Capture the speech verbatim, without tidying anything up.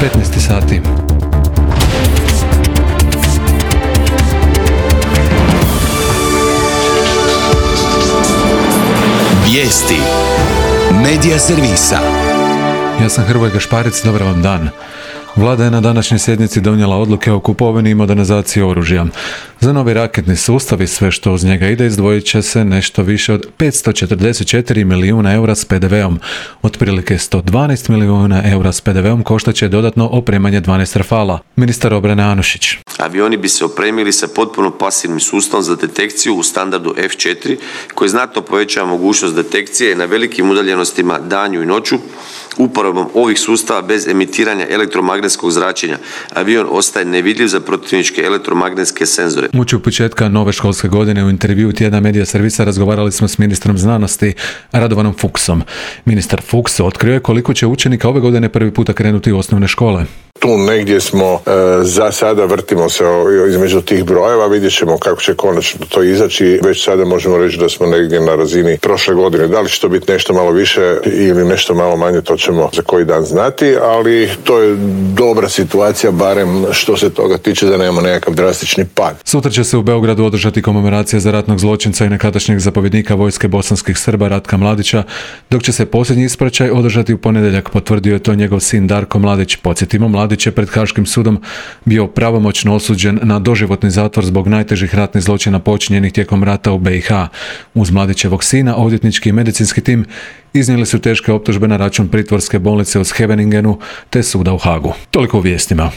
petnaest sati. Vijesti Medija servisa. Ja sam Hrvoje Gašparic, dobar vam dan. Vlada je na današnjoj sjednici donijela odluke o kupovini i modernizaciji oružja. Za novi raketni sustav i sve što uz njega ide izdvojit će se nešto više od petsto četrdeset četiri milijuna eura s pe de veom. Otprilike sto dvanaest milijuna eura s pe de veom koštat će dodatno opremanje dvanaest Rafala. Ministar obrane Anušić. Avioni bi se opremili sa potpuno pasivnim sustavom za detekciju u standardu ef četiri koji znatno povećava mogućnost detekcije na velikim udaljenostima danju i noću. Uporabom ovih sustava bez emitiranja elektromagnetskog zračenja avion ostaje nevidljiv za protivničke elektromagnetske senzore. Uoči početka nove školske godine u intervjuu tjedna Medija servisa razgovarali smo s ministrom znanosti Radovanom Fuchsom. Ministar Fuchs otkrio je koliko će učenika ove godine prvi puta krenuti u osnovne škole. Tu negdje smo, e, za sada vrtimo se o, između tih brojeva, vidjet ćemo kako će konačno to izaći. Već sada možemo reći da smo negdje na razini prošle godine. Da li će to biti nešto malo više ili nešto malo manje, to ćemo za koji dan znati, ali to je dobra situacija, barem što se toga tiče, da nemamo nekakav drastični pad. Sutra će se u Beogradu održati komemoracija za ratnog zločinca i nekadašnjeg zapovjednika vojske bosanskih Srba Ratka Mladića, dok će se posljednji ispraćaj održati u ponedjeljak, potvrdio je to njegov sin Darko Mladić. Podsjetimo, Mladić je pred Haškim sudom bio pravomoćno osuđen na doživotni zatvor zbog najtežih ratnih zločina počinjenih tijekom rata u be i ha. Uz Mladićevog sina, odvjetnički i medicinski tim iznijeli su teške optužbe na račun pritvorske bolnice u Scheveningenu te suda u Hagu. Toliko u vijestima.